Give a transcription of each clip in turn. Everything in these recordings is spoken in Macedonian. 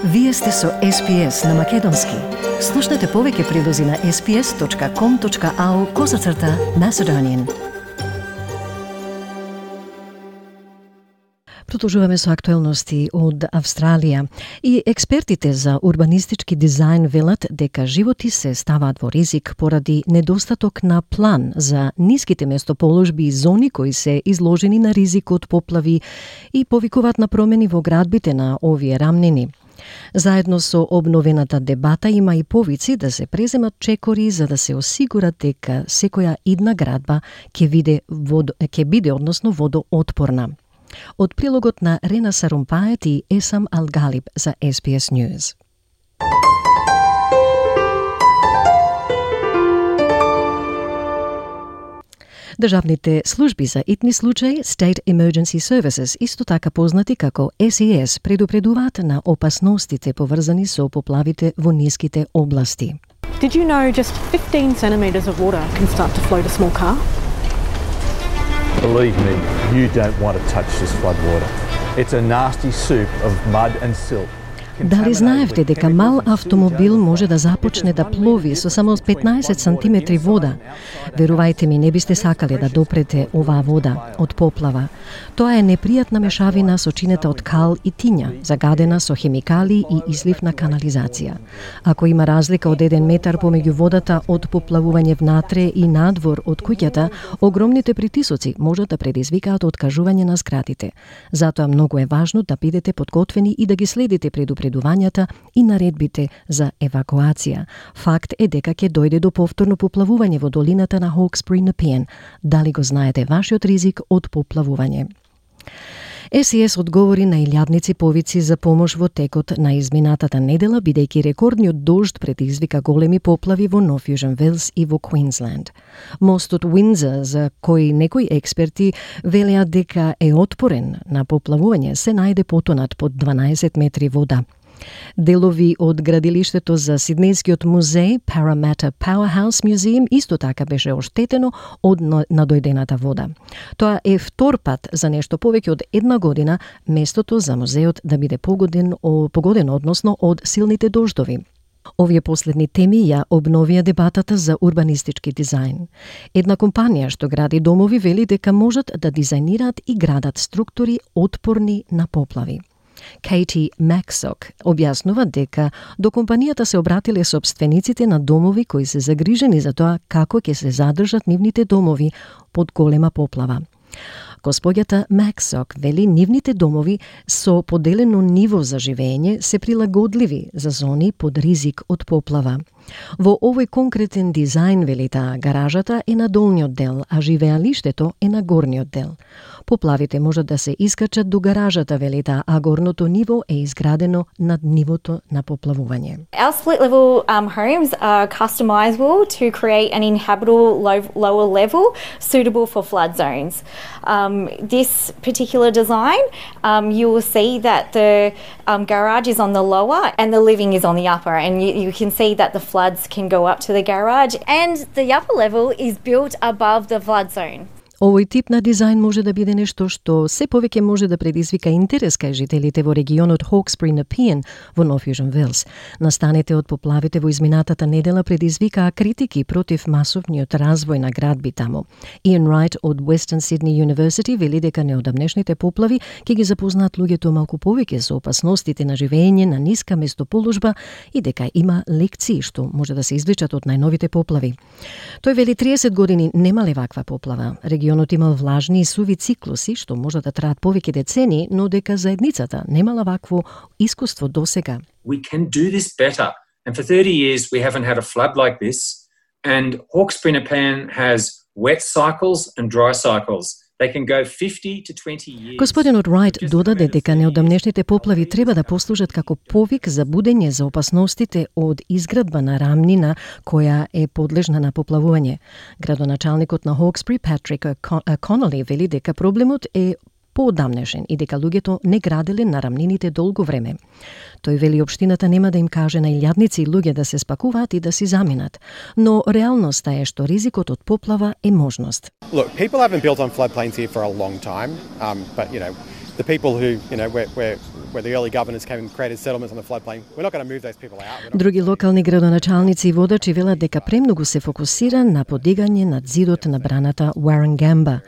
Вие сте со SPS на Македонски. Слушнете повеќе прилози на sps.com.au/Macedonian. Продолжуваме со актуелности од Австралија. И експертите за урбанистички дизајн велат дека животи се ставаат во ризик поради недостаток на план за ниските место-положби и зони кои се изложени на ризик од поплави и повикуваат на промени во градбите на овие рамнини. Заедно со обновената дебата има и повици да се преземат чекори за да се осигурат дека секоја идна градба ќе биде водоотпорна. Од прилогот на Рена Сарумпает и Есам Алгалиб за SBS News. Државните служби за итни случаи, State Emergency Services, исто така познати како SES, предупредуваат на опасностите поврзани со поплавите во ниските области. Did you know just 15 centimetres of water can start to float a small car? Believe me, you don't want to touch this floodwater. It's a nasty soup of mud and silt. Дали знаевте дека мал автомобил може да започне да плови со само 15 сантиметри вода? Верувајте ми, не бисте сакале да допрете оваа вода од поплава. Тоа е непријатна мешавина сочинета од кал и тиња, загадена со хемикали и излив на канализација. Ако има разлика од 1 метар помеѓу водата од поплавување внатре и надвор од куќата, огромните притисоци можат да предизвикаат откажување на зградите. Затоа многу е важно да бидете подготвени и да ги следите предупредувањата и наредбите за евакуација. Факт е дека ќе дојде до повторно поплавување во долината на Hawkesbury Nepean. Дали го знаете вашиот ризик од поплавување? SES одговори на илјадници повици за помош во текот на изминатата недела, бидејќи рекордниот дожд предизвика големи поплави во Нов Јужен Велс и во Квинсленд. Мостот Уиндзор, за кој некои експерти велеат дека е отпорен на поплавување, се најде потонат под 12 метри вода. Делови од градилиштето за Сиднејскиот музеј Parramatta Powerhouse Museum исто така беше оштетено од надојдената вода. Тоа е втор пат за нешто повеќе од една година местото за музеот да биде погодено од силните дождови. Овие последни теми ја обновија дебатата за урбанистички дизајн. Една компанија што гради домови вели дека можат да дизајнираат и градат структури отпорни на поплави. Katie Maxsock објаснува дека до компанијата се обратиле сопствениците на домови кои се загрижени за тоа како ќе се задржат нивните домови под голема поплава. Господјата Maxsock вели нивните домови со поделено ниво за живење се прилагодливи за зони под ризик од поплава. Во овој конкретен дизајн, вели таа, гаражата е на долниот дел, а живеалиштето е на горниот дел. Поплавите можат да се искачат до гаражата, вели таа, а горното ниво е изградено над нивото на поплавување. Our split level homes are customizable to create an inhabitable lower level suitable for flood zones. This particular design, you will see that the garage is on the lower and the living is on the upper, and you can see that the floods can go up to the garage, and the upper level is built above the flood zone. Овој тип на дизајн може да биде нешто што се повеќе може да предизвика интерес кај жителите во регионот Hawkesbury Nepean во Нов Јужен Велс. Настаните од поплавите во изминатата недела предизвикаа критики против масовниот развој на градби таму. Иан Райт од Western Sydney University вели дека неодамнешните поплави ќе ги запознаат луѓето малку повеќе со опасностите на живење на ниска место-положба и дека има лекции што може да се извлечат од најновите поплави. Тој вели 30 години немале ваква поплава. Регионот имал влажни и суви циклуси што може да траат повеќе децени, но дека заедницата немала вакво искуство досега. We can do this better. And for 30 years we haven't had a flood like this. And Hawkesbury Nepean has wet cycles and dry cycles. They can go 50 to 20 years. Господинот Райт додаде дека неодамнешните поплави треба да послужат како повик за будење за опасностите од изградба на рамнина која е подлежна на поплавување. Градоначалникот на Hawkesbury, Patrick Connolly, вели дека проблемот е поодамнешен и дека луѓето не граделе на рамнините долго време. Тој вели општината нема да им каже на илјадници луѓе да се спакуваат и да си заминат, но реалноста е што ризикот од поплава е можност. Look, people haven't built on floodplains here for a long time, but the people who, where the early governors came and created settlements on the floodplain. We're not going to move those people out. Други локални градоначалници и водачи велат дека премногу се фокусира на подигање над зидот на браната Warragamba.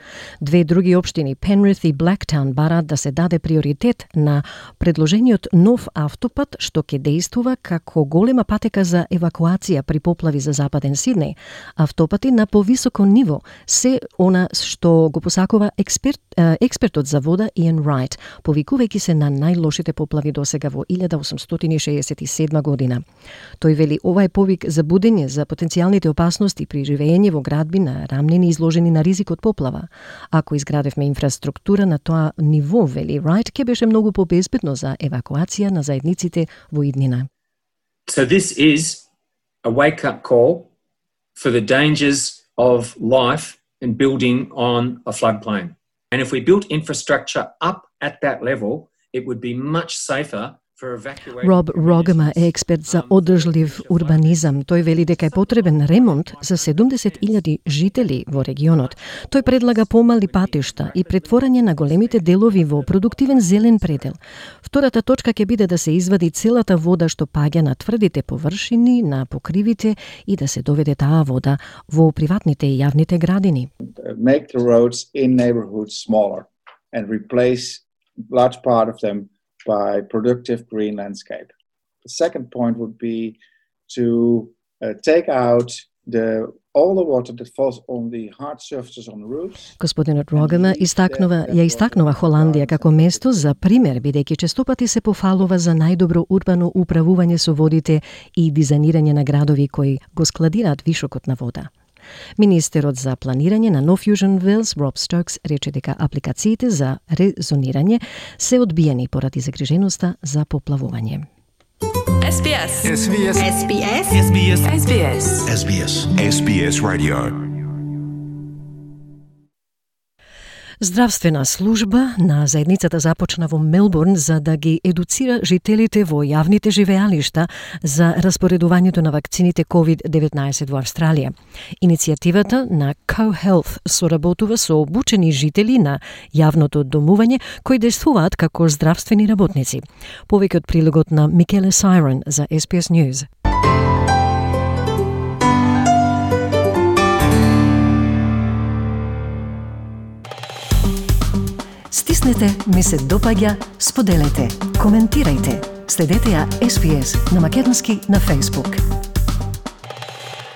Две други општини, Penrith и Blacktown, бараат да се даде приоритет на предложениот нов автопат што ќе действува како голема патека за евакуација при поплави за западен Сиднеј. Автопати на повисоко ниво се она што го посакува експертот за вода Иан Райт, повикувајќи се на најлошите поплави досега во 1867 година. Тој вели ова е повик за будење за потенцијалните опасности при живеење во градби на рамнини изложени на ризик од поплава. Ако изградевме инфраструктура на тоа ниво, вели Райт, ќе беше многу побезбедно за евакуација на заедниците во иднина. So this is a wake-up call for the dangers of life and building on a floodplain. And if we built infrastructure up at that level, it would be much safer for evacuating. Rob Rogema е експерт за одржлив урбанизам. Тој вели дека е потребен ремонт за 70.000 жители во регионот. Тој предлага помали патишта и претворање на големите делови во продуктивен зелен предел. Втората точка ќе биде да се извади целата вода што паѓа на тврдите површини, на покривите и да се доведе таа вода во приватните и јавните градини. Make the roads in neighborhoods smaller and replace large part of them by productive green landscape. The second point would be to take out all the water that falls on the hard surfaces on the roofs. Господинот Рогема истакнува Холандија како место за пример, бидејќи честопати се пофалува за најдобро урбано управување со водите и дизајнирање на градови кои го складираат вишокот на вода. Министерот за планирање на North Fusion Wales, Rob Stokes, рече дека апликациите за резонирање се одбиени поради загриженоста за поплавување. SBS. SBS. SBS. SBS. SBS. SBS. SBS Radio. Здравствена служба на заедницата започна во Мелбурн за да ги едуцира жителите во јавните живеалишта за распоредувањето на вакцините COVID-19 во Австралија. Иницијативата на Co-Health соработува со обучени жители на јавното домување кои действуваат како здравствени работници. Повеќе од прилогот на Микеле Сайрон за SBS News. Стиснете, ми се допаѓа, споделете, коментирајте. Следете ја SBS на македонски на Facebook.